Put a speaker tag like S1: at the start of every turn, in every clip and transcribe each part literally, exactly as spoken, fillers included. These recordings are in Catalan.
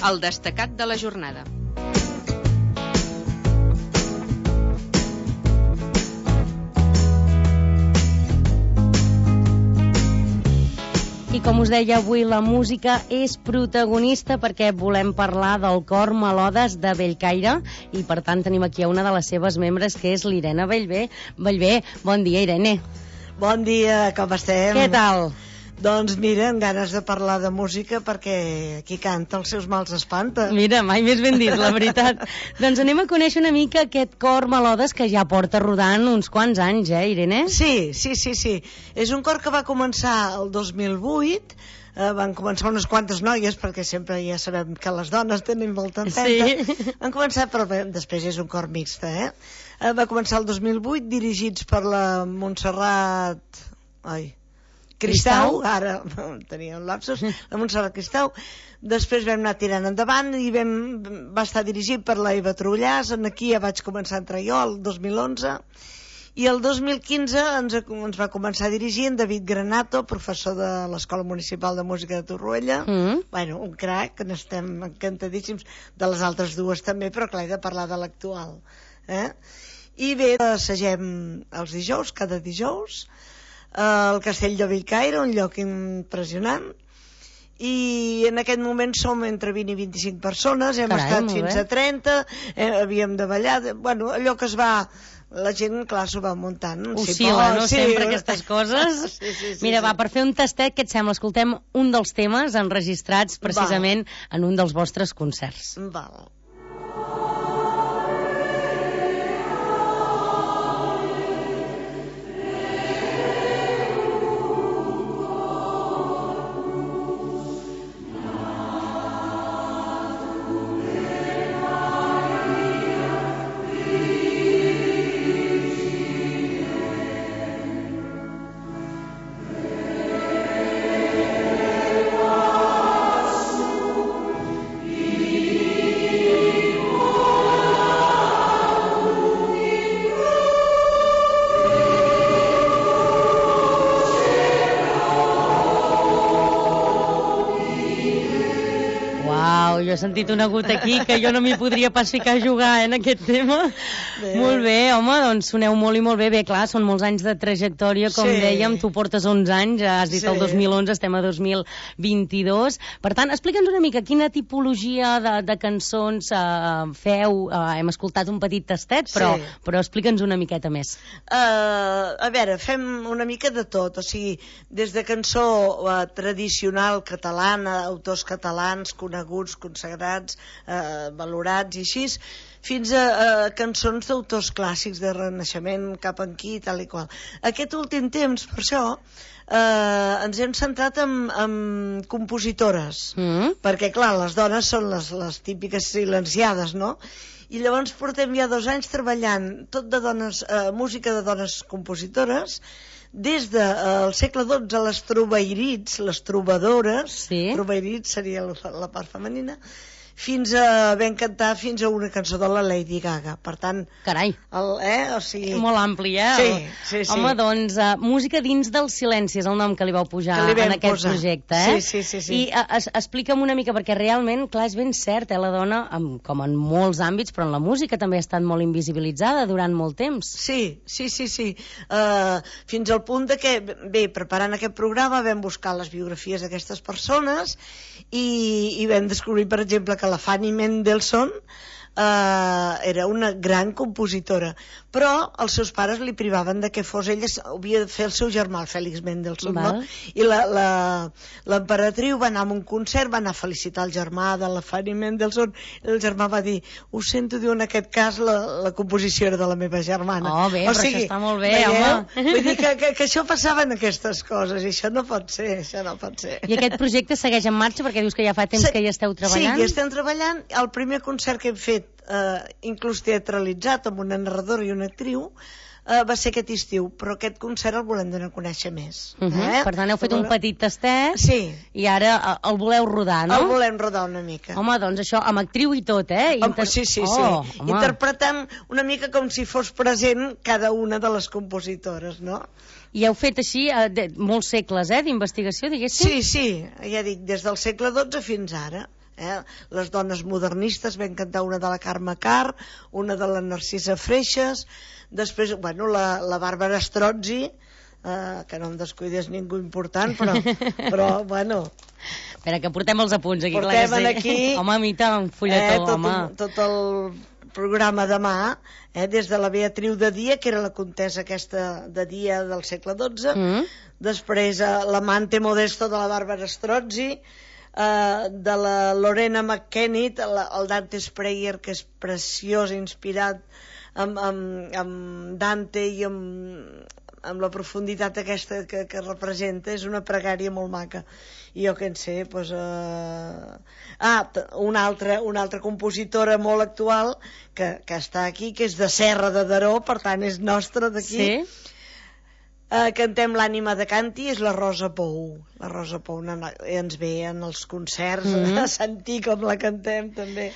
S1: el destacat de la jornada.
S2: I com us deia, avui la música és protagonista perquè volem parlar del cor Melodes de Bellcaire i per tant tenim aquí a una de les seves membres que és l'Irene Bellver. Bellver, bon dia, Irene.
S3: Bon dia, com estem?
S2: Què tal?
S3: Doncs mira, amb ganes de parlar de música perquè qui canta els seus mals espanta.
S2: Mira, mai més ben dit, la veritat. Doncs anem a conèixer una mica aquest cor Melodes que ja porta rodant uns quants anys, eh, Irene?
S3: Sí, sí, sí, sí. És un cor que va començar el dos mil vuit, eh, van començar unes quantes noies, perquè sempre ja sabem que les dones tenen molta empenta.
S2: Sí.
S3: Van començar, però bé, després és un cor mixta, eh? eh? Va començar el dos mil vuit, dirigits per la Montserrat... Ai... Cristau, ara tenia un lapsus, la Montserrat Cristau. Després vam anar tirant endavant i vam, va estar dirigit per la Eva Trullàs. Aquí ja vaig començar a entrar jo, el dos mil onze, i el dos mil quinze ens, ens va començar a dirigir en David Granato, professor de l'Escola Municipal de Música de Torroella. Mm. Bueno, un crac, que n'estem encantadíssims, de les altres dues també, però clar, he de parlar de l'actual, eh? I bé, assagem els dijous, cada dijous, al Castell de Bellcaire, un lloc impressionant, i en aquest moment som entre vint i vint-i-cinc persones. Hem Carai, estat fins bé. a trenta, eh, havíem de ballar, bueno, allò que es va... La gent, clar, s'ho va muntant.
S2: Oscil·la, no? Sí. Sempre aquestes coses. Sí, sí, sí, Mira, sí. va, per fer un tastet, què et sembla? Escoltem un dels temes enregistrats precisament Val. en un dels vostres concerts.
S3: Val.
S2: Jo he sentit un agut aquí que jo no m'hi podria pas ficar a jugar, eh, en aquest tema. Bé. Molt bé, home, doncs soneu molt i molt bé. Bé, clar, són molts anys de trajectòria, com sí. dèiem, tu portes onze anys, has dit sí. el dos mil onze, estem a dos mil vint-i-dos. Per tant, explica'ns una mica quina tipologia de, de cançons uh, feu. Uh, hem escoltat un petit tastet, però, sí. però explica'ns una miqueta més.
S3: Uh, a veure, fem una mica de tot, o sigui, des de cançó uh, tradicional catalana, autors catalans, coneguts, consagrats, eh, valorats i així, fins a, a cançons d'autors clàssics de Renaixement, cap aquí, tal i qual. Aquest últim temps, per això, eh, ens hem centrat en, en compositores, mm. perquè, clar, les dones són les, les típiques silenciades, no? I llavors portem ja dos anys treballant tot de dones, eh, música de dones compositores, des del eh, segle dotze, les trobairits, les trobadores, sí. trobairits seria la, la part femenina, fins a ben cantar fins a una cançó de la Lady Gaga. Per tant...
S2: Carai!
S3: El, eh? o sigui...
S2: Molt ampli, eh?
S3: Sí, sí, sí.
S2: Home, doncs, uh, música dins del silenci és el nom que li vau pujar li en aquest
S3: posar.
S2: projecte, eh?
S3: Sí, sí, sí. sí.
S2: I uh, es, explica'm una mica, perquè realment, clar, és ben cert, eh? La dona, amb, com en molts àmbits, però en la música també ha estat molt invisibilitzada durant molt temps.
S3: Sí, sí, sí, sí. Uh, fins al punt de que, bé, preparant aquest programa vam buscar les biografies d'aquestes persones i, i vam descobrir, per exemple, que la Fanny Mendelssohn eh, era una gran compositora, però els seus pares li privaven de que fos ella, havia de fer el seu germà, el Félix Mendelssohn, no? I l'emperatriu va anar a un concert, va anar a felicitar el germà de la Fanny Mendelssohn, i el germà va dir, ho sento, diu, en aquest cas la, la composició era de la meva germana.
S2: Oh, bé,
S3: o
S2: però
S3: sigui,
S2: això està molt bé,
S3: veieu?
S2: home.
S3: Vull dir que, que, que això passava en aquestes coses, i això no pot ser, això no pot ser.
S2: I aquest projecte segueix en marxa, perquè dius que ja fa temps Se... que hi esteu treballant?
S3: Sí, hi estem treballant. El primer concert que hem fet, eh, inclús teatralitzat, amb una narradora i una actriu, Uh, va ser aquest estiu, però aquest concert el volem donar a conèixer més.
S2: Uh -huh. eh? Per tant, heu fet un petit tastet
S3: sí.
S2: i ara uh, el voleu rodar, no?
S3: El volem rodar una mica.
S2: Home, doncs això, amb actriu i tot, eh?
S3: Inter... Sí, sí, sí.
S2: Oh,
S3: interpretant una mica com si fos present cada una de les compositores, no?
S2: I heu fet així uh, de, molts segles, eh, d'investigació, diguéssim?
S3: Sí, sí, ja dic, des del segle dotze fins ara. Eh? Les dones modernistes, vam cantar una de la Carme Carr, una de la Narcisa Freixas, després, bueno, la, la Bàrbara Strozzi, eh, que no em descuidés ningú important, però, però bueno...
S2: Espera, que portem els apunts aquí,
S3: portem
S2: clar que sí.
S3: Aquí,
S2: home, a mi un fulletó,
S3: eh, tot,
S2: home.
S3: Tot el programa demà, eh, des de la Beatriu de Dia, que era la comtessa aquesta de Dia del segle dotze, mm. després eh, l'amante modesto de la Bàrbara Strozzi, eh, de la Lorena McKennitt, el, el Dante's Prayer, que és preciós, inspirat amb, amb, amb Dante i amb, amb la profunditat aquesta que, que representa. És una pregària molt maca. I jo què en sé, doncs... Eh... Ah, una altra, una altra compositora molt actual que, que està aquí, que és de Serra de Daró, per tant és nostra d'aquí.
S2: Sí?
S3: Eh, cantem l'ànima de Canti, és la Rosa Pou. La Rosa Pou no, no, ens ve en els concerts mm-hmm. a sentir com la cantem també.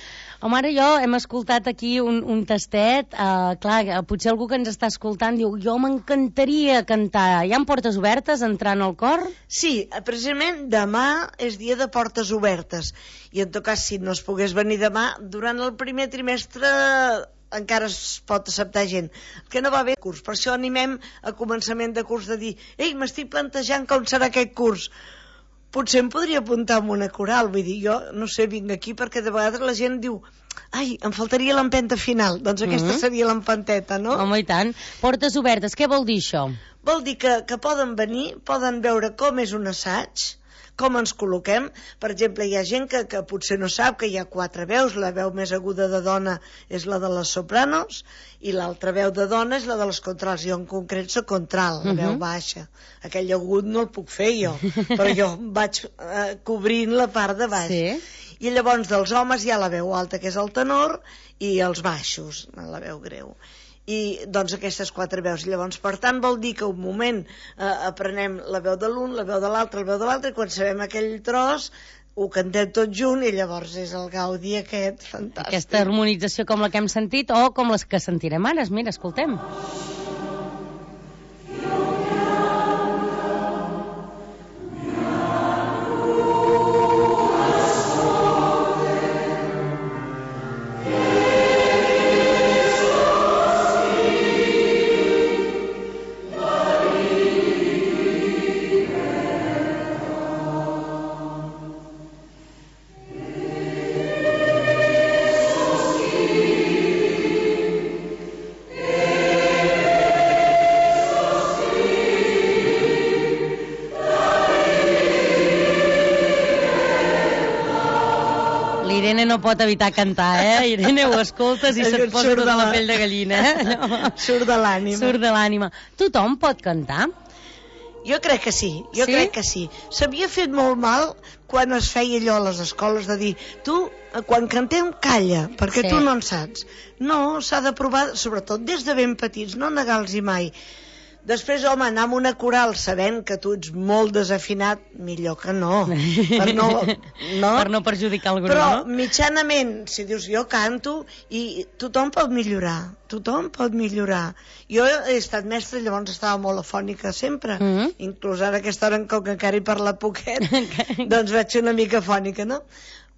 S2: Home, ara jo hem escoltat aquí un, un tastet, uh, clar, potser algú que ens està escoltant diu, jo m'encantaria cantar. Hi ha portes obertes entrant al cor?
S3: Sí, precisament demà és dia de portes obertes, i en tot cas, si no es pogués venir demà, durant el primer trimestre encara es pot acceptar gent. El que no va bé curs, per això animem a començament de curs de dir, ei, m'estic plantejant com serà aquest curs. Potser em podria apuntar en una coral, vull dir, jo no sé, vinc aquí perquè de vegades la gent diu, ai, em faltaria l'empenta final, doncs aquesta mm-hmm. seria l'empenteta, no?
S2: Home, i tant. Portes obertes, què vol dir això?
S3: Vol dir que, que poden venir, poden veure com és un assaig, com ens col·loquem. Per exemple, hi ha gent que, que potser no sap que hi ha quatre veus, la veu més aguda de dona és la de les sopranos i l'altra veu de dona és la de les contrals. Jo en concret soc contral, la veu baixa. Aquell agut no el puc fer jo, però jo vaig eh, cobrint la part de baix.
S2: Sí.
S3: I llavors dels homes hi ha la veu alta, que és el tenor, i els baixos, la veu greu. I doncs aquestes quatre veus. Llavors, per tant, vol dir que un moment eh, aprenem la veu de l'un, la veu de l'altre, la veu de l'altre, i quan sabem aquell tros ho cantem tot junt i llavors és el gaudi aquest fantàstic.
S2: Aquesta harmonització com la que hem sentit o com les que sentirem ara. Mira, escoltem. Irene no pot evitar cantar, eh? Irene, ho escoltes i se't posa tota la pell de gallina, eh? No.
S3: Surt de l'ànima.
S2: Surt de l'ànima. Tothom pot cantar?
S3: Jo crec que sí, jo
S2: sí?
S3: crec que sí. S'havia fet molt mal quan es feia allò a les escoles de dir, tu, quan cantem, calla, perquè sí. tu no en saps. No, s'ha de provar, sobretot des de ben petits, no negar-los mai. Després, home, anar amb una coral sabent que tu ets molt desafinat, millor que no. Per no, no?
S2: Per no perjudicar algú,
S3: Però,
S2: no?
S3: mitjanament, si dius, jo canto, i tothom pot millorar, tothom pot millorar. Jo he estat mestra, llavors estava molt afònica sempre, mm-hmm. inclús ara aquesta hora, com que encara hi parla poquet, doncs vaig ser una mica afònica, no?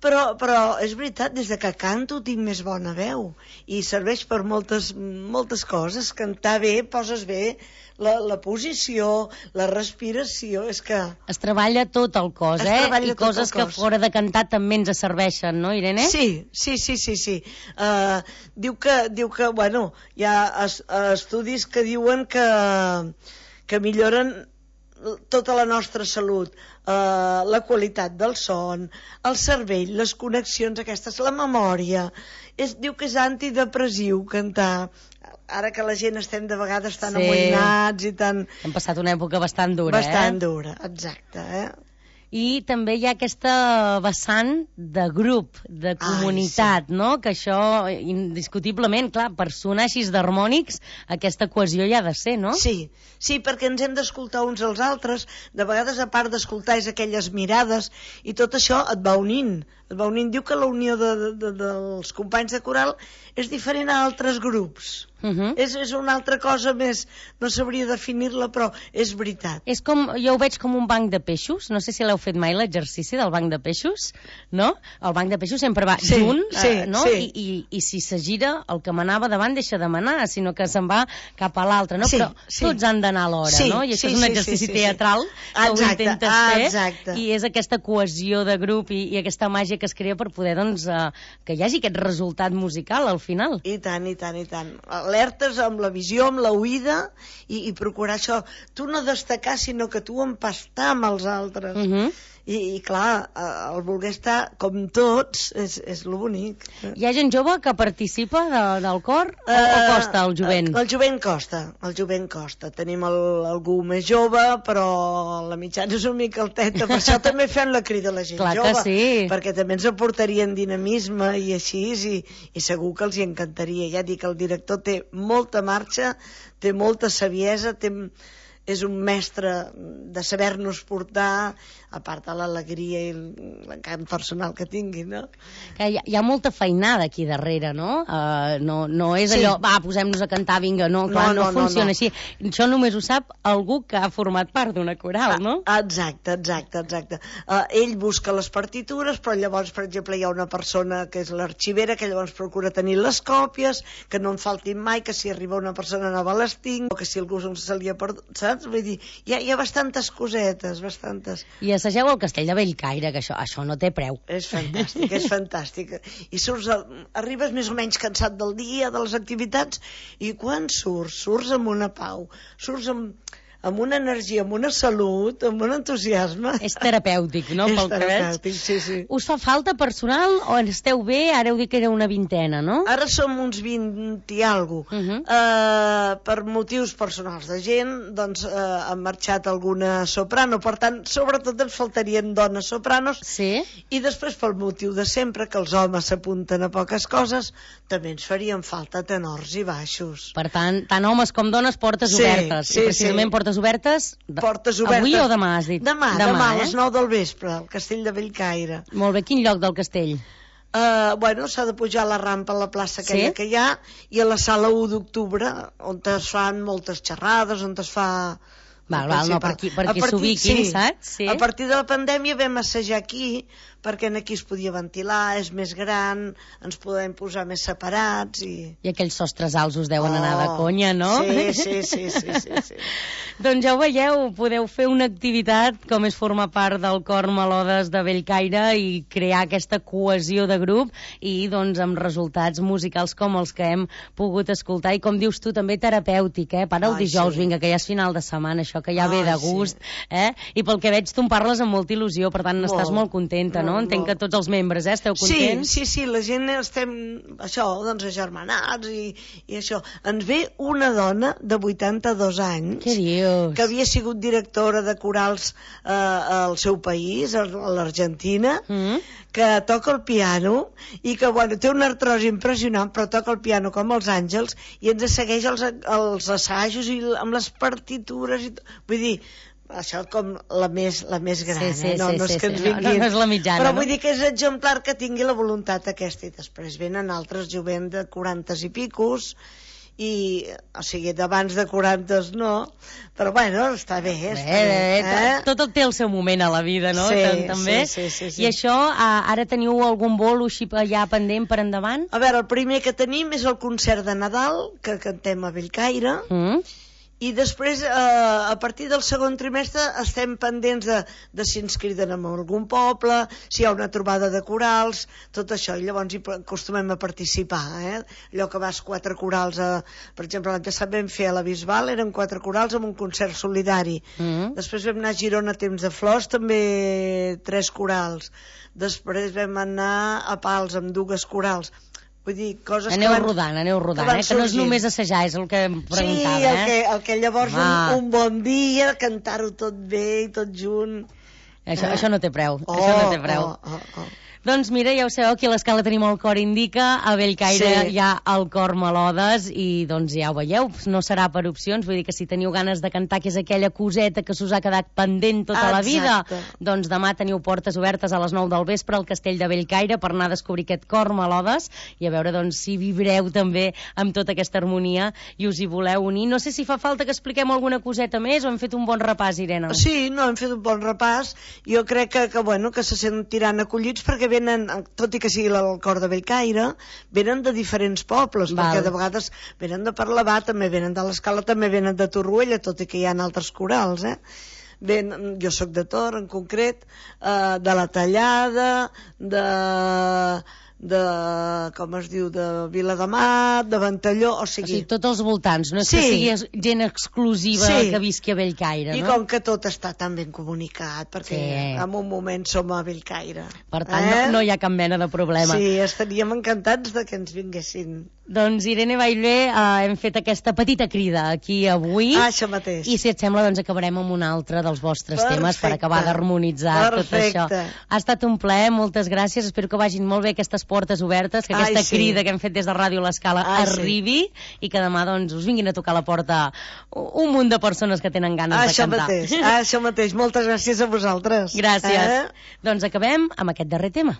S3: Però, però és veritat, des de que canto tinc més bona veu i serveix per moltes, moltes coses. Cantar bé, poses bé la, la posició, la respiració, és que...
S2: Es treballa tot el cos, eh? I coses que fora de cantar també ens serveixen, no, Irene?
S3: Sí, sí, sí, sí, sí. Uh, diu que, diu que, bueno, hi ha es, estudis que diuen que, que milloren tota la nostra salut, eh, la qualitat del son, el cervell, les connexions aquestes, la memòria. Es diu que és antidepressiu cantar. Ara que la gent estem de vegades tan sí. amoïnats i tan...
S2: Hem passat una època bastant dura,
S3: bastant
S2: eh?
S3: Bastant dura, exacte, eh?
S2: I també hi ha aquesta vessant de grup, de comunitat, Ai, sí. no? Que això, indiscutiblement, clar, per sonar així d'harmònics, aquesta cohesió hi ha de ser, no?
S3: Sí, sí, perquè ens hem d'escoltar uns als altres. De vegades, a part d'escoltar, és aquelles mirades, i tot això et va unint. Et va unint. Diu que la unió de, de, de, dels companys de coral és diferent a altres grups.
S2: Uh -huh.
S3: és, és una altra cosa més, no sabria definir-la, però és veritat.
S2: És com, jo ho veig com un banc de peixos, no sé si l'heu fet mai l'exercici del banc de peixos, no? El banc de peixos sempre va
S3: sí,
S2: junt,
S3: sí,
S2: eh, no?
S3: Sí.
S2: I, i, i si se gira, el que manava davant deixa de manar, sinó que se'n va cap a l'altre, no?
S3: Sí,
S2: Però
S3: sí.
S2: tots han d'anar alhora,
S3: sí,
S2: no? I això
S3: sí,
S2: és un
S3: sí,
S2: exercici
S3: sí, sí,
S2: teatral
S3: sí.
S2: que
S3: Exacte,
S2: ho intentes fer,
S3: exacte.
S2: i és aquesta cohesió de grup i, i aquesta màgia que es crea per poder, doncs, eh, que hi hagi aquest resultat musical al final.
S3: I tant, i tant, i tant. Alertes amb la visió, amb l'oïda, i, i procurar això. Tu no destacar, sinó que tu empastar amb els altres.
S2: Uh -huh.
S3: I, i clar, el voler estar com tots és, és lo bonic.
S2: Hi ha gent jove que participa de, del cor o, uh, o costa el jovent?
S3: El, el jovent costa, el jovent costa. Tenim el, algú més jove, però la mitjana és una mica alteta, per això també fem la crida a la gent
S2: Clar
S3: jove,
S2: que sí.
S3: perquè també ens aportarien dinamisme i així, i, i segur que els hi encantaria. Ja dic, el director té molta marxa, té molta saviesa, té... és un mestre de saber-nos portar, a part de l'alegria i l'encant personal que tingui, no?
S2: Que hi, ha, hi ha molta feinada aquí darrere, no? Uh, no, no és
S3: sí.
S2: allò, va, posem-nos a cantar, vinga, no, clar, no, no, no funciona no, no. així. Això només ho sap algú que ha format part d'una coral, no?
S3: Ah, exacte, exacte, exacte. Uh, ell busca les partitures, però llavors, per exemple, hi ha una persona que és l'arxivera, que llavors procura tenir les còpies, que no en faltin mai, que si arriba una persona nova les tinc, o que si algú se li ha perdut, saps? Vull dir, hi ha, hi ha bastantes cosetes, bastantes.
S2: I assageu al Castell de Bellcaire, que això, això no té preu.
S3: És fantàstic, és fantàstic. I surts, arribes més o menys cansat del dia, de les activitats, i quan surts, surts amb una pau, surts amb... amb una energia, amb una salut, amb un entusiasme.
S2: És terapèutic, no?
S3: És
S2: pel
S3: terapèutic, sí, sí.
S2: Us fa falta personal o esteu bé? Ara heu dit que era una vintena, no?
S3: Ara som uns vint i alguna cosa. Uh -huh. uh, per motius personals de gent, doncs uh, han marxat alguna soprano, per tant, sobretot ens faltarien dones sopranos.
S2: Sí.
S3: I després, pel motiu de sempre, que els homes s'apunten a poques coses, també ens farien falta tenors i baixos.
S2: Per tant, tant homes com dones, portes
S3: sí,
S2: obertes.
S3: Sí,
S2: I precisament
S3: sí.
S2: portes obertes,
S3: portes obertes
S2: avui o demà, has dit?
S3: Demà, demà, demà eh? a les nou del vespre, al Castell de Bellcaire.
S2: Molt bé, quin lloc del castell?
S3: Uh, bueno, s'ha de pujar a la rampa a la plaça aquella sí? que hi ha, i a la sala u d'octubre, on es fan moltes xerrades, on es fa...
S2: Val, val, no, per aquí, per aquí s'ubiquin,
S3: sí.
S2: saps? Sí.
S3: A partir de la pandèmia vam assajar aquí, perquè aquí es podia ventilar, és més gran, ens podem posar més separats i...
S2: I aquells sostres alts us deuen
S3: oh,
S2: anar de conya, no?
S3: Sí, sí, sí, sí, sí, sí.
S2: Doncs ja ho veieu, podeu fer una activitat com és formar part del cor Melodes de Bellcaire i crear aquesta cohesió de grup i doncs amb resultats musicals com els que hem pogut escoltar i com dius tu també terapèutic, eh? Para el
S3: Ai,
S2: dijous,
S3: sí.
S2: vinga, que ja és final de setmana, això que ja
S3: Ai,
S2: ve de gust,
S3: sí.
S2: eh? I pel que veig tu en parles amb molta il·lusió, per tant
S3: molt,
S2: estàs molt contenta, no?
S3: Molt,
S2: Entenc
S3: molt.
S2: que tots els membres, eh, esteu contents?
S3: Sí, sí, sí, la gent estem, això, doncs agermanats i, i això. Ens ve una dona de vuitanta-dos anys.
S2: Què dius?
S3: Que havia sigut directora de corals eh, al seu país, a l'Argentina, mm. que toca el piano i que, bueno, té una artrosi impressionant, però toca el piano com els àngels i ens segueix els, els assajos i amb les partitures i tot. Vull dir, això com la més, la més gran,
S2: sí, sí,
S3: eh? No,
S2: sí,
S3: no és
S2: sí,
S3: que
S2: sí.
S3: ens vinguin...
S2: No, no és la mitjana,
S3: però
S2: no?
S3: vull dir que és exemplar que tingui la voluntat aquesta, i després venen altres jovent de quaranta i picos, i, o sigui, d'abans de quaranta no, però bueno, està bé, està bé,
S2: bé
S3: eh?
S2: tot, tot té el seu moment a la vida, no?
S3: Sí,
S2: també.
S3: Sí, sí, sí, sí.
S2: I això, ara teniu algun bolo així ja pendent per endavant?
S3: A veure, el primer que tenim és el concert de Nadal, que cantem a Bellcaire, mm. i després, eh, a partir del segon trimestre, estem pendents de, de si ens criden en algun poble, si hi ha una trobada de corals, tot això, i llavors hi acostumem a participar, eh? Allò que vas quatre corals, a, per exemple, l'any passat vam fer a la Bisbal, eren quatre corals amb un concert solidari. Mm. Després vam anar a Girona a Temps de Flors, també tres corals. Després vam anar a Pals amb dues corals. Vull dir, coses
S2: aneu
S3: que van,
S2: rodant, aneu rodant,
S3: que,
S2: eh? que no és només assajar, és el que em preguntava.
S3: Sí, el
S2: eh?
S3: que, el que llavors un, un bon dia, cantar-ho tot bé i tot junt,
S2: Això,
S3: eh?
S2: això no té preu,
S3: oh,
S2: això no té preu.
S3: Oh, oh, oh.
S2: Doncs mira, ja ho sabeu, aquí a l'escala tenim el cor indica, a Bellcaire
S3: Sí.
S2: hi ha el cor Melodes i doncs ja ho veieu, no serà per opcions, vull dir que si teniu ganes de cantar, que és aquella coseta que s'us ha quedat pendent tota la vida,
S3: Exacte.
S2: doncs demà teniu portes obertes a les nou del vespre al Castell de Bellcaire per anar a descobrir aquest cor Melodes i a veure doncs si vibreu també amb tota aquesta harmonia i us hi voleu unir. No sé si fa falta que expliquem alguna coseta més o hem fet un bon repàs, Irene?
S3: Sí, no, hem fet un bon repàs. Jo crec que, que, bueno, que se sentiran acollits perquè venen, tot i que sigui el cor de Bellcaire, venen de diferents pobles,
S2: Val.
S3: perquè de vegades venen de Parlavà, també venen de l'Escala, també venen de Torroella, tot i que hi ha altres corals, eh? Ben, jo sóc de Tor, en concret, eh, de la Tallada, de... de, com es diu, de Viladamat, de Ventalló, o
S2: O
S3: sigui...
S2: sigui, tots els voltants, no és
S3: Sí.
S2: que sigui es- gent exclusiva
S3: Sí.
S2: que visqui a Bellcaire,
S3: I
S2: no?
S3: com que tot està tan ben comunicat, perquè
S2: Sí.
S3: en un moment som a Bellcaire.
S2: Per tant,
S3: eh?
S2: no, no hi ha cap mena de problema.
S3: Sí, estaríem encantats de que ens vinguessin.
S2: Doncs, Irene Bailer, eh, hem fet aquesta petita crida aquí avui.
S3: Ah, això mateix.
S2: I si et sembla, doncs acabarem amb un altre dels vostres
S3: Perfecte.
S2: temes per acabar d'harmonitzar tot
S3: Perfecte.
S2: això. Ha estat un plaer, moltes gràcies. Espero que vagin molt bé aquestes portes obertes, que aquesta
S3: Ai, sí.
S2: crida que hem fet des de Ràdio L'Escala
S3: Ai, sí.
S2: arribi i que demà doncs, us vinguin a tocar a la porta un munt de persones que tenen ganes
S3: Ah,
S2: de
S3: això
S2: cantar.
S3: mateix, ah, això mateix. Moltes gràcies a vosaltres.
S2: Gràcies.
S3: Eh?
S2: Doncs acabem amb aquest darrer tema.